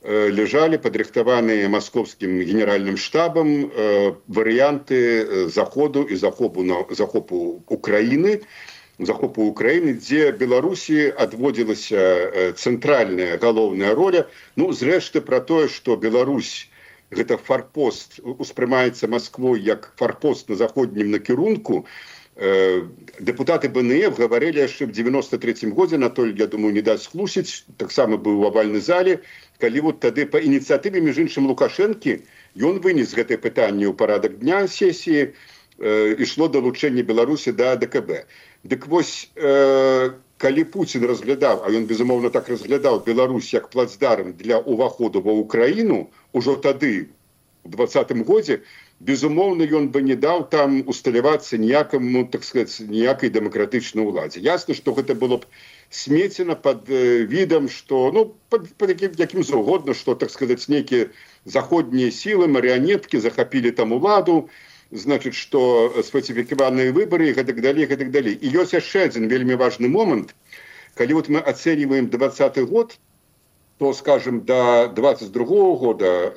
ляжалі падрыхтаваныя маскоўскім генеральным штабам варыянты заходу і захопу Украіны, дзе Беларусі адводзілася цэнтральная галоўная роля. Ну, зрэшты, пра тое, што Беларусь гэта фарпост, успрымаецца Масквой як фарпост на заходнім накірунку, дэпутаты БНФ гаварылі яшчэ в 93-м годзе, Анатоль, я думаю, не дасць хлусіць, таксама быў у авальнай зале, калі вот тады па ініцыятыве, між іншым, Лукашэнкі, ён вынес гэтае пытанне ў парадак дня сесіі, ішло далучэнне Беларусі да ДКБ. Дык вось, калі Пуцін разглядаў, а ён, безумоўна, так разглядаў Беларусь як плацдарм для ўваходу ва Украіну, ужо тады, у 20-м годзе, безумоўна, ён бы не даў там усталявацца ніякаму, так сказаць, ніякай дэмакратычнай уладзе. Ясна, што гэта было б смецена пад відам, што, ну, пад якім заўгодна, што, так сказаць, нейкія заходнія сілы, марыянеткі захапілі там уладу, значит, што сфальсіфікаваныя выбары і гэтак далей. І ёсць яшчэ адзін вельмі важны момант. Калі вот мы ацэньваем 20-й год, то, скажем, до 22-го года,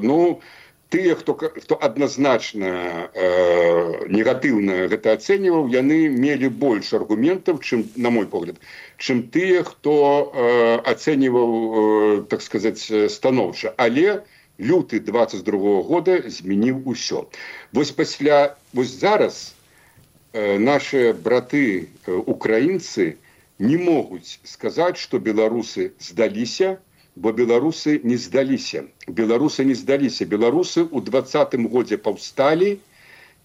ну, тыя, хто адназначна негатыўна гэта ацэньваў, яны мелі больш аргументаў, чым, на мой погляд, чым тыя, хто ацэньваў, так сказаць, станоўча. Але люты 22-го года змяніў усё. Вось зараз наши браты украінцы не могуць сказаць, што беларусы здаліся, бо беларусы не здаліся. Беларусы ў 20-м годзе паўсталі,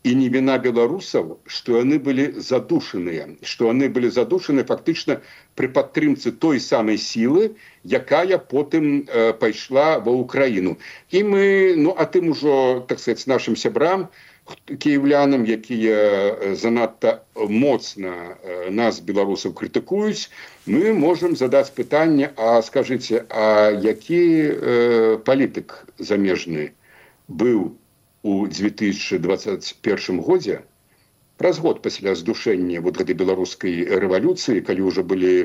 і не віна беларусаў, што яны былі задушаныя, фактычна пры падтрымцы той самай сілы, якая потым пайшла ва Украіну. І мы, ну, а тым ужо, так сказаць, нашым сябрам, кіеўлянам, якія занадта моцна нас, беларусаў, крытыкуюць, мы можам задаць пытанне, а скажыце, а які палітык замежны быў у 2021 годзе, праз год пасля здушэння вот гэтай беларускай рэвалюцыі, калі ўжо былі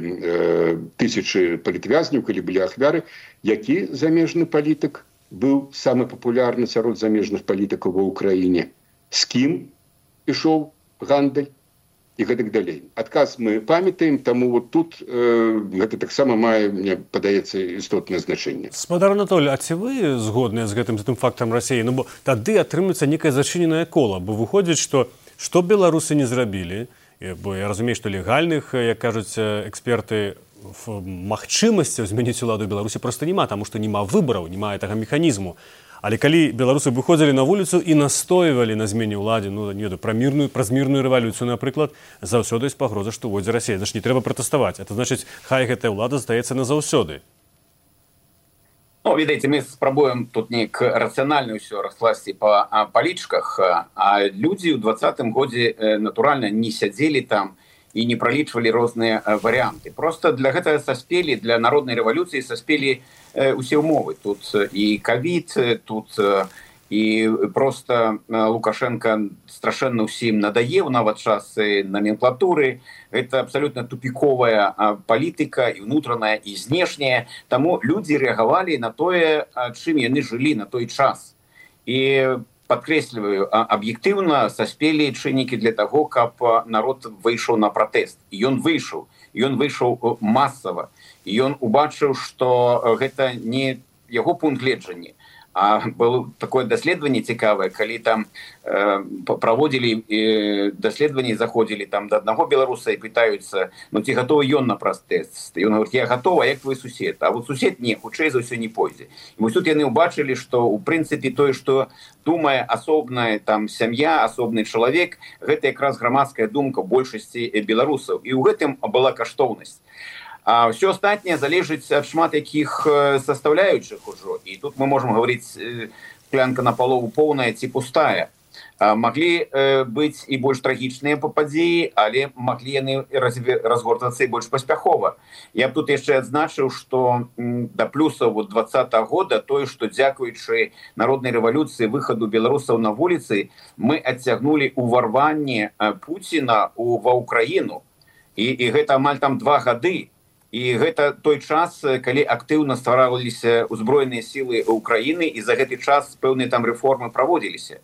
тысячы палітвязняў, калі былі ахвяры, які замежны палітык быў самы папулярны сярод замежных палітыкаў ва ўкраіне, з кім ішоў гандаль і гэтак далей. Адказ мы памятаем, таму вот тут гэта таксама мае, мне падаецца, істотнае значэнне. Спадар Анатолій, а ці вы згодныя з гэтым фактам Расіі? Ну, бо тады атрымліваецца некае зачыненае кола, бо выходзіць, што беларусы не зрабілі, бо я разумею, што легальных, як кажуць эксперты, магчымасцяў змяніць уладу Беларусі проста няма, таму што няма выбараў, няма гэтага механізму. Але калі беларусы выходзілі на вуліцу і настойвалі на змене ўладзе, ну, не ведаю, праз мірную рэвалюцыю, напрыклад, заўсёды ёсць пагроза, што войдзе Расія. Значыць, не трэба пратэставаць. Это значыць, хай гэтая ўлада застаецца назаўсёды. Ну, видите, мы спробуем тут неяк рацыянальна ўсё раскласці па палічках, а людзі ў 20-м годзе натуральна не сядзелі там і не пралічвалі розныя варыянты. Просто для гэтага саспелі, для народнай рэвалюцыі саспелі усе ўмовы. Тут і ковід, тут і просто Лукашенко страшэнна ўсім надаеў, нават час номенклатуры. Гэта абсолютно тупіковая палітыка, і ўнутраная, і знешняя. Таму людзі рэагавалі на тое, чым яны жылі на той час. І падкрэсліваю, аб'ектыўна саспелі чыннікі для таго, каб народ выйшаў на пратэст. І ён выйшаў масава. І ён убачыў, што гэта не яго пункт гледжання. А было такое даследаванне цікавае, калі там праводзілі даследаванне, заходзілі там да аднаго беларуса і пытаюцца, ну ці гатовы ён на пратэст. І ён говорить, я гатова, як твой сусед. А вот сусед не, хутчэй за ўсё не пойдзе. І вось тут яны ўбачылі, што ў прынцыпе тое, што думае асобная там сям'я, асобны чалавек, гэта якраз грамадская думка большасці беларусаў. І ў гэтым была каштоўнасць. А все астатняе залежыць ад шмат якіх составляючых ужо. І тут мы можем говорить, склянка напалову поўная ці пустая. Маглі быць і больш трагічныя падзеі, але маглі яны разгортвацца і больш паспяхова. Я б тут яшчэ адзначыў, што да плюсаў 20-го года тое, што дзякуючы народнай рэвалюцыі, выхаду беларусаў на вуліцы, мы адцягнулі ўварванне Пуціна ва ўкраіну. І гэта амаль там 2 гады. І гэта той час, калі актыўна ствараліся ўзброеныя сілы Украіны, і за гэты час пэўныя там рэформы праводзіліся.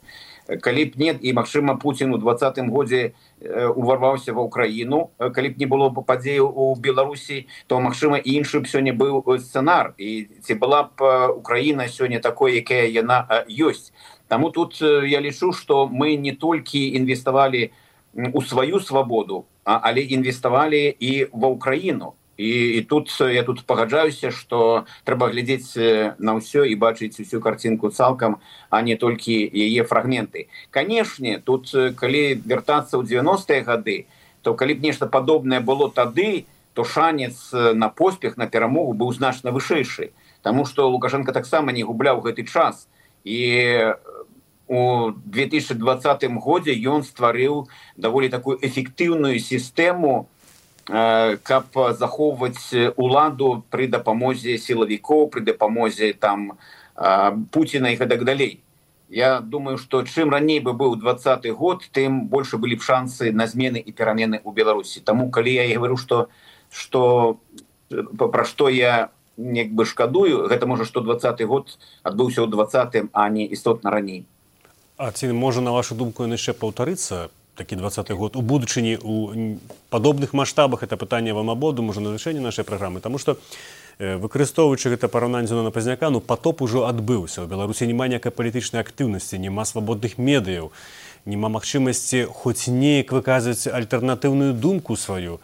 Калі б не, і, магчыма, Пуцін у 20-м годзе уварваўся ва Украіну, калі б не было падзеяў у Беларусі, то, магчыма, і іншы б сёння быў сцэнар. І ці была б Украіна сёння такой, якая яна ёсць. Таму тут я лічу, што мы не толькі інвеставалі у сваю свабоду, але інвеставалі і ва Украіну. І тут я пагаджаюся, што трэба глядзець на ўсё і бачыць усю карцінку цалкам, а не толькі яе фрагменты. Канешне, тут калі вяртацца ў 90-е гады, то калі б нешта падобнае было тады, то шанец на поспех, на перамогу быў значна вышэйшы. Таму што Лукашенко таксама не губляў гэты час. І у 2020 годзе ён стварыў даволі такую эфектыўную сістэму, каб захоўваць уладу пры дапамозе сілавікоў, пры дапамозе там Пуціна і гэтак далей. Я думаю, што чым раней бы быў 20-й год, тым больше былі б шансы на змены і перамены ў Беларусі. Таму, калі я і говорю, пра што я як бы шкадую, гэта можа, што 20-й год адбыўся ў 20-м, а не істотна раней. А ці можа, на вашу думку, ён яшчэ паўтарыцца? Такі 20-й год у будучыні у падобных маштабах, это пытанне вам абодвум можа на вырашэнне нашай праграмы, таму што выкарыстоўваючы гэта параўнанне Зіновіна Пазняка, ну патоп ужо адбыўся. У Беларусі няма ніякай палітычнай актыўнасці, няма свабодных медыяў, няма магчымасці хоць неяк выказваць альтэрнатыўную думку сваю.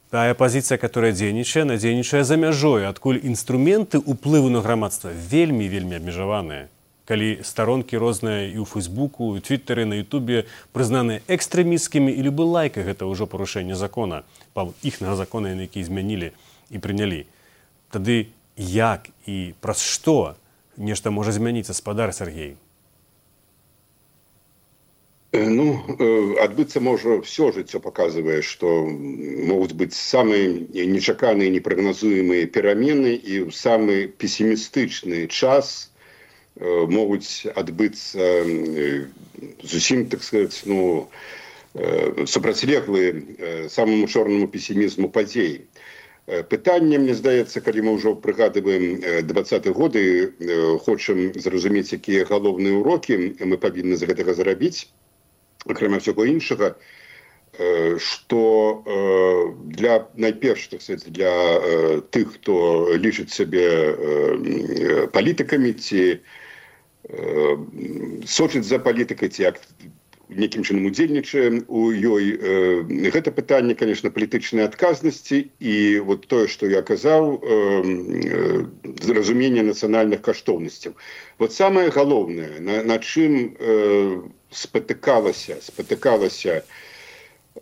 Тая пазіцыя, которая дзейнічае за мяжой, адкуль інструменты ўплыву на грамадства вельмі абмежаваныя. Калі старонкі розныя і ў Фейсбуку, і ў Твиттері, на Ютубе прызнаныя экстрэмісцкімі, і любы лайк гэта ўжо парушэнне закона, іхнага закона, які змянілі і прынялі. Тады як і праз што нешта можа змяніцца, спадар Сергей? Ну, адбыцца можа все жыццё паказвае, што могуць быць самыя нечаканыя, непрагназуемыя перамены, і ў самы песімістычны час могуць адбыцца зусім, так сказаць, супрацьлеглы самому чорнаму песімізму падзей. Пытанне, мне здаецца, калі мы ўжо прыгадываем 20-е годы, хочам зразумець, якія галоўныя урокі мы павінны з гэтага зарабіць, акрамя ўсяго іншага, што для найперш, так сказать, для тых, хто лічыць сябе палітыкамі ці сочыць за палітыкай, ці некім чынам удзельнічае у ёй, гэта пытанне, конечно, палітычнай адказнасці і вот тое, што я казаў, зразумение нацыянальных каштоўнасцяў. Вот самае галоўнае, на чым спатыкалася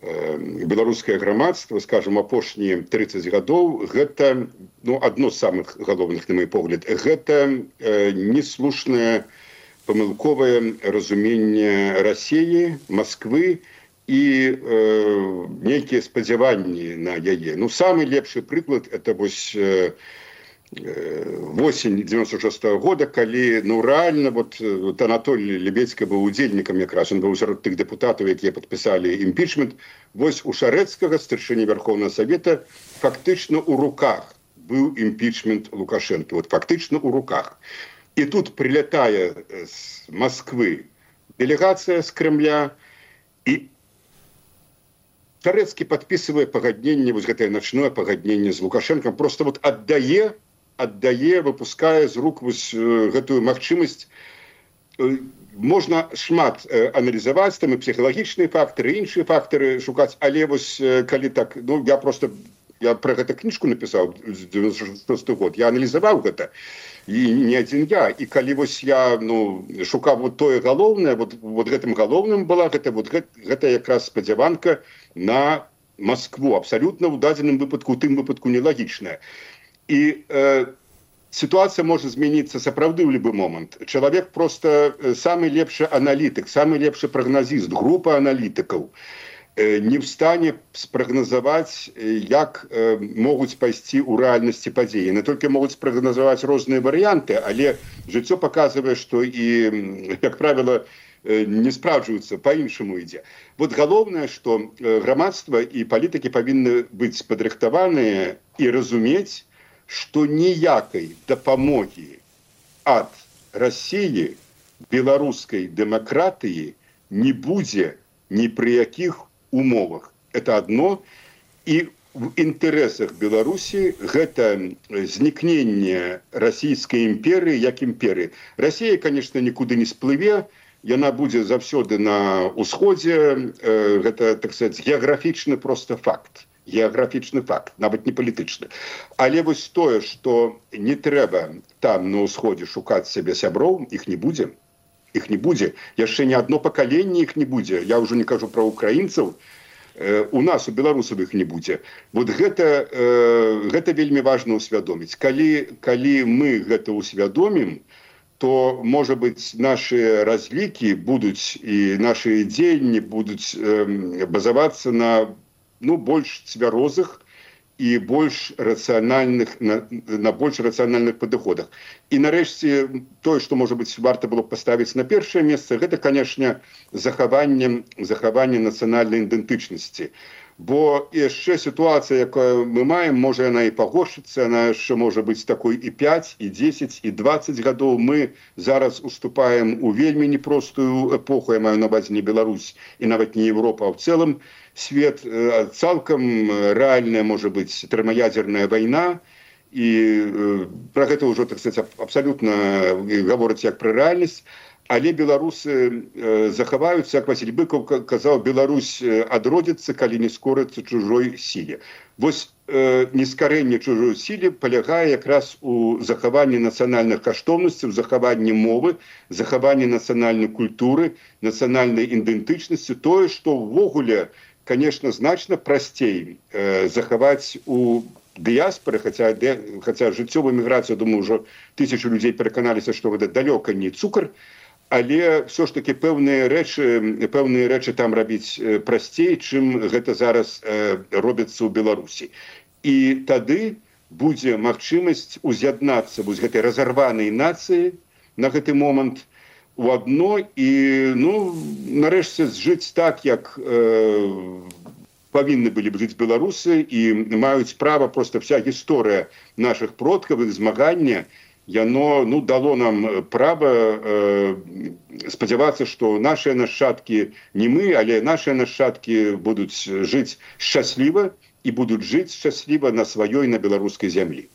беларускае грамадства, скажем, апошнія 30 гадоў, гэта, адно з самых галоўных, на мой погляд, гэта неслушнае памылковае разуменне Расіі, Масквы і нейкія спадзяванні на яе. Самы лепшы прыклад – это вось восень 96-го года, калі рэальна Анатолій Лебедзька быў удзельнікам якраз, ён быў сярод тых дэпутатаў, якія падпісалі імпічмент. Вось у Шарэцкага, старшыні Вярхоўнага Савета, фактычна ў руках быў імпічмент Лукашэнкі. Фактычна ў руках. І тут прилятае з Москвы делегацыя з Кремля, і Шарэцкі падпісывае пагадненне, гэтае начное пагадненне з Лукашэнкам, просто аддае, выпускае з рук гэтую магчымасць. Можна шмат аналізаваць, там і псіхалагічныя фактары, іншыя фактары шукаць, але калі так, я пра гэта кніжку напісаў з 96 год, я аналізаваў гэта. І не адзін я. І калі я шукаў тое галоўнае, гэтым галоўным была гэта якраз спадзяванка на Маскву. Абсалютна ў дадзеным выпадку, у тым выпадку нелагічная. І сітуацыя можа змяніцца сапраўды ў любы момант. Чалавек проста самы лепшы аналітык, самы лепшы прагназіст, група аналітыкаў не в стане спрагназаваць, як могуць пайсці ў рэальнасці падзеі. Не толькі могуць спрагназаваць розныя варыянты, але жыццё паказвае, што і, як правіла, не спраўджваюцца, па-іншаму ідзе. Галоўнае, што грамадства і палітыкі павінны быць падрыхтаваныя і разумець, што ніякай дапамогі ад Расіі, беларускай дэмакратыі не будзе ні пры якіх умовах. Это одно. І в інтарэсах Беларусі гэта знікненне расійскай імперыі як імперыі. Расія, конечно, нікуды не сплыве, яна будзе заўсёды на ўсходзе. Гэта, так сказать, геаграфічны просто факт. Геаграфічны факт, нават не палітычны. Але тое, што не трэба там на ўсходзе шукаць сябе сяброў, іх не будзе. Іх не будзе. Яшчэ не адно пакаленне іх не будзе. Я ўжо не кажу пра украінцаў. У нас, у беларусаў іх не будзе. Гэта вельмі важна ўсвядоміць. Калі мы гэта ўсвядомім, то, можа быць, нашы разлікі будуць і нашы дзеянні будуць базавацца на больш цвярозых і больш рацыянальных, на больш рацыянальных падыходах. І нарэшце тое, што, можа быць, варта было паставіць на першае месца, гэта, канешне, захаванне нацыянальнай ідэнтычнасці. Бо яшчэ сітуацыя, якую мы маем, можа яна і пагоршыцца, яна яшчэ можа быць такой і 5, і 10, і 20 гадоў. Мы зараз уступаем у вельмі непростую эпоху, я маю на ўвазе не Беларусь і нават не Европа, а ў цэлым свет. Цалкам рэальная можа быць тэрмаядзерная вайна, і пра гэта ўжо, так сказать, абсалютна гавораць як пра рэальнасць. Але беларусы захаваюцца, як Васіль Быкаў казаў, Беларусь адродзіцца, калі не скорыцца чужой сіле. Нескарэнне чужой сіле палягае якраз у захаванні нацыянальных каштоўнасцяў, захаванні мовы, захаванні нацыянальнай культуры, нацыянальнай ідэнтычнасці. Тое, што ўвогуле, конечно, значна прасцей захаваць у дыяспоры, хаця жыццёвую міграцыю, думаю, ўжо 1000 людзей пераканаліся, што гэта далёка не цукар, але все ж таки пэўныя рэчы там рабіць прасцей, чым гэта зараз робіцца ў Беларусі. І тады будзе магчымасць уз'яднацца гэтай разарванай нацыі на гэты момант, у адно і нарэшце жыць так, як павінны былі б жыць беларусы і маюць права. Просто вся гісторыя наших продкаў, іх змагання, яно дало нам права спадзявацца, што нашыя нашчадкі, не мы, але нашыя нашчадкі будуць жыць шчасліва і будуць жыць шчасліва на сваёй, на беларускай зямлі.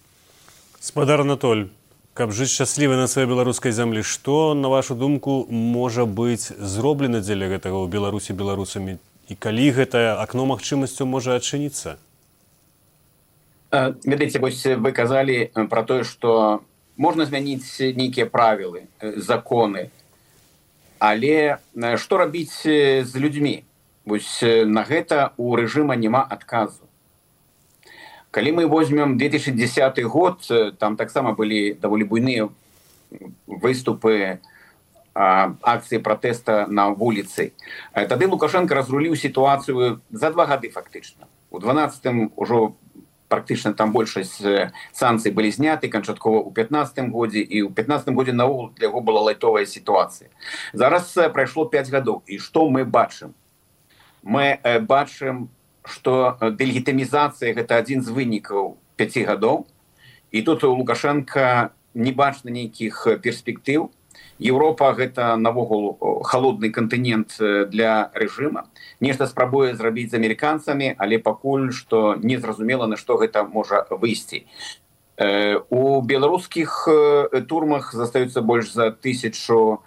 Спадар Анатоль, каб жыць шчасліва на сваёй беларускай зямлі, што, на вашу думку, можа быць зроблена дзеля гэтага ў Беларусі беларусамі? І калі гэтае акно магчымасцяў можа адчыніцца? Ведаеце, вось вы казалі пра тое, што можна змяніць нейкія правілы, законы, але што рабіць з людзьмі? Вось на гэта у рэжыма няма адказу. Калі мы возьмем 2010 год, там таксама былі даволі буйныя выступы, акцыі пратэста на вуліцы. Тады Лукашенко разруліў сітуацыю за 2 гады фактычна. У 12-м ужо практычна там большасць санкцый былі зняты, канчаткова ў 15-м годзе, і ў 15-м годзе наогул для яго была лайтовая сітуацыя. Зараз прайшло 5 гадоў. І што мы бачым? Мы бачым, што дэлегітымізацыя гэта адзін з вынікаў 5 гадоў, і тут у Лукашенка не бачна нейкіх перспектыў. Еўропа гэта навогул халодны кантынент для рэжыма. Нешта спрабуе зрабіць з амерыканцамі, але пакуль што незразумела, на што гэта можа выйсці. У беларускіх турмах застаюцца больш за 1000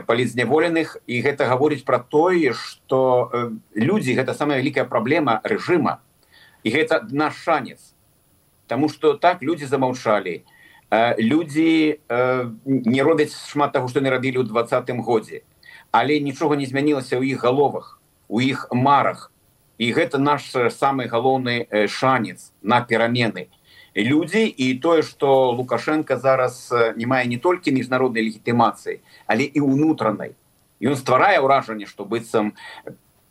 палітзняволеных, і гэта гаворыць пра тое, што людзі гэта самая вялікая праблема рэжыма. І гэта наш шанец. Таму што так людзі замаўчалі. Людзі не робяць шмат таго, што не рабілі ў 20-м годзе. Але нічога не змянілася ў іх галовах, у іх марах. І гэта наш самы галоўны шанец на перамены. Людзі і тое, што Лукашенко зараз не мае не толькі міжнароднай легітымацыі, але і ўнутранай. Ён стварае ўражанне, што быццам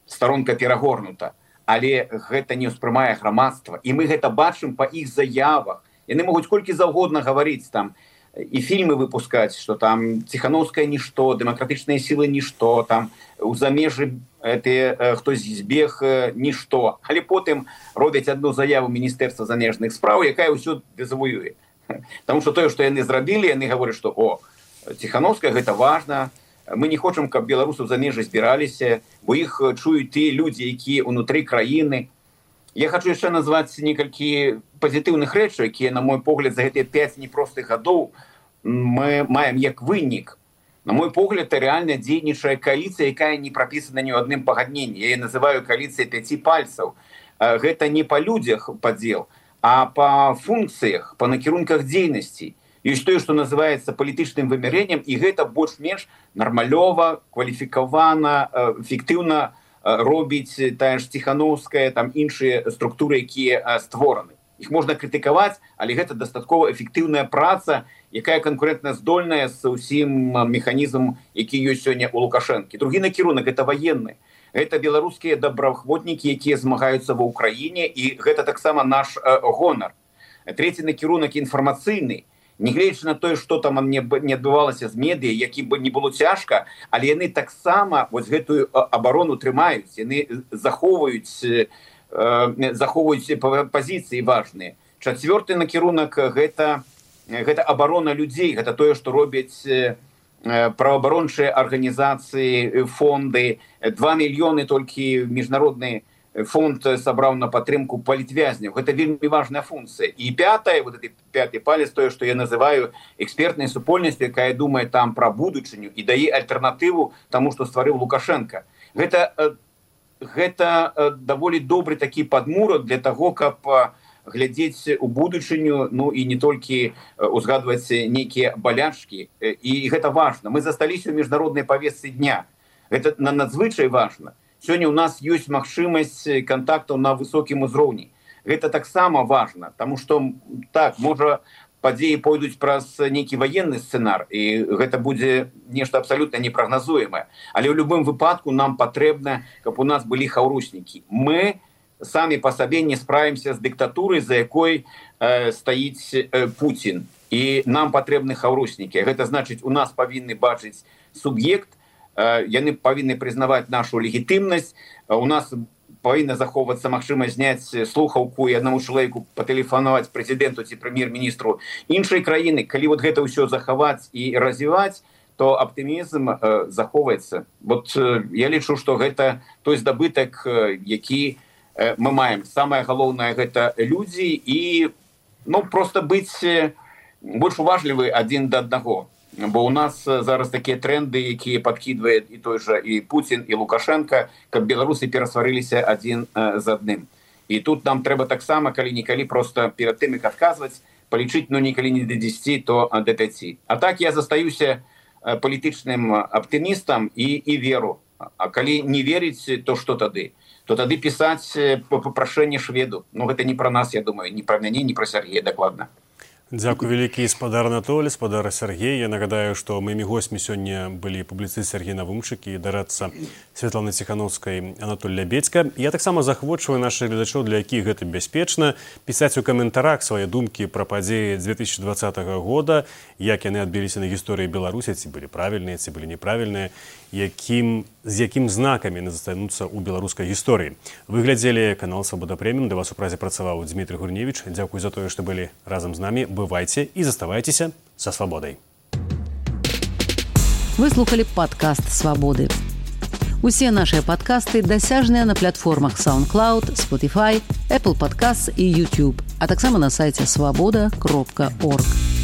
старонка перагорнута. Але гэта не ўспрымае грамадства. І мы гэта бачым па іх заявах. Яны могуць колькі заўгодна гаварыць там і фільмы выпускаць, што там Ціхановская нішто, дэмакратычныя сілы нішто, там у замежы хтось збег нішто. Але потым робяць адну заяву Міністэрства замежных спраў, якая ўсё дэзавуюе. Таму што тое, што яны зрабілі, яны гавораць, што Ціхановская гэта важна, мы не хочам, каб беларусы ў замежы збіраліся, бо іх чуюць тыя людзі, якія ўнутры краіны. Я хочу яшчэ назваць некалькі пазітыўных рэчаў, якія, на мой погляд, за гэтыя 5 непростых гадоў мы маем як вынік. На мой погляд, рэальна дзейнічае кааліцыя, якая не прапісана ні ў адным пагадненні. Я называю кааліцыя 5 пальцаў. Гэта не па людзях падзел, а па функцыях, па накірунках дзейнасці. Ёсць тое, што называецца палітычным вымярэннем, і гэта больш-менш нармалёва, кваліфікавана, эфектыўна робіць тая ж Ціхановская, там іншыя структуры, якія створаны. Іх можна крытыкаваць, але гэта дастаткова эфектыўная праца, якая канкурэнтна здольная з усім механізмам, які ёсць сёння у Лукашэнкі. Другі накірунак гэта ваенны. Гэта беларускія добраахвотнікі, якія змагаюцца ва ўкраіне, і гэта таксама наш гонар. Трэці накірунак інфармацыйны. Нягледзячы на тое, што там не адбывалася з медыя, які бы не было цяжка, але яны таксама вось гэтую абарону трымаюць, яны захоўваюць пазіцыі важныя. Чацвёрты накірунак гэта абарона людзей, гэта тое, што робяць праваабарончыя арганізацыі, фонды. 2 мільёны толькі міжнародны фонд сабраў на падтрымку палітвязняў. Гэта вельмі важная функцыя. І пятае, вот этот 5-й палец, тое, што я называю экспертнай супольнасцю, якая думае там пра будучыню і дае альтэрнатыву таму, што стварыў Лукашенко. Гэта даволі добры такі падмурак для таго, каб глядзець у будучыню, ну і не толькі узгадваць нейкія балячкі. І гэта важна. Мы засталіся ў міжнароднай павестцы дня. Гэта надзвычай важна. Сёння ў нас ёсць магчымасць кантактаў на высокім узроўні. Гэта таксама важна, таму што, так, можа, падзеі пойдуць праз нейкі ваенны сцэнар, і гэта будзе нешта абсалютна непрагназуемае. Але ў любым выпадку нам патрэбна, каб у нас былі хаўруснікі. Мы самі па сабе не справімся з дыктатурай, за якой стаіць Пуцін. І нам патрэбны хаўруснікі. Гэта значыць, у нас павінны бачыць суб'ект, яны павінны прызнаваць нашу легітымнасць. У нас павінна захоўвацца магчымасць зняць слухаўку і аднаму чалавеку патэлефанаваць прэзідэнту ці прэм'ер-міністру іншай краіны. Калі вот гэта ўсё захаваць і развіваць, то аптымізм захоўваецца. Вот я лічу, што гэта той здабытак, які мы маем. Самае галоўнае гэта людзі і просто быць больш уважлівы адзін да аднаго. Бо у нас зараз такія тренды, якія падкідвае і той жа і Пуцін, і Лукашенко, каб беларусы перасварыліся адзін з адным. І тут нам трэба таксама калі-нікалі просто перад тым, як адказваць, палічыць, некалі не да 10, то да 5. А так я застаюся палітычным аптымістам і веру. А калі не верыць, то што тады? То тады пісаць папрашэнне шведу. Гэта не пра нас, я думаю, не пра мяне, не пра Сергея дакладна. Дзякуй вялікі, спадар Анатолій, спадар Сергей. Я нагадаю, што моімі гостьмі сёння былі публіцыст Сергей Навумчык і дарадца Святланы Ціхановскай Анатоль Лябедзька. Я таксама захвочваю нашых гледачоў, для якіх гэта бяспечна, пісаць у каментарах свае думкі пра падзеі 2020 года, як яны адбіліся на гісторыі Беларусі, ці былі правільныя, ці былі неправільныя, з якім знакамі яны застануцца ў беларускай гісторыі. Вы глядзелі канал «Свабода Прэміум». Для вас у празе працаваў Дмітрий Гурневіч. Дзякуй за тое, што былі разам з намі. Бывайце і заставайцеся са свабодай. Вы слухали падкаст «Свабоды». Усе нашыя падкасты дасяжныя на платформах SoundCloud, Spotify, Apple Podcasts і YouTube, а таксама на сайце swaboda.org.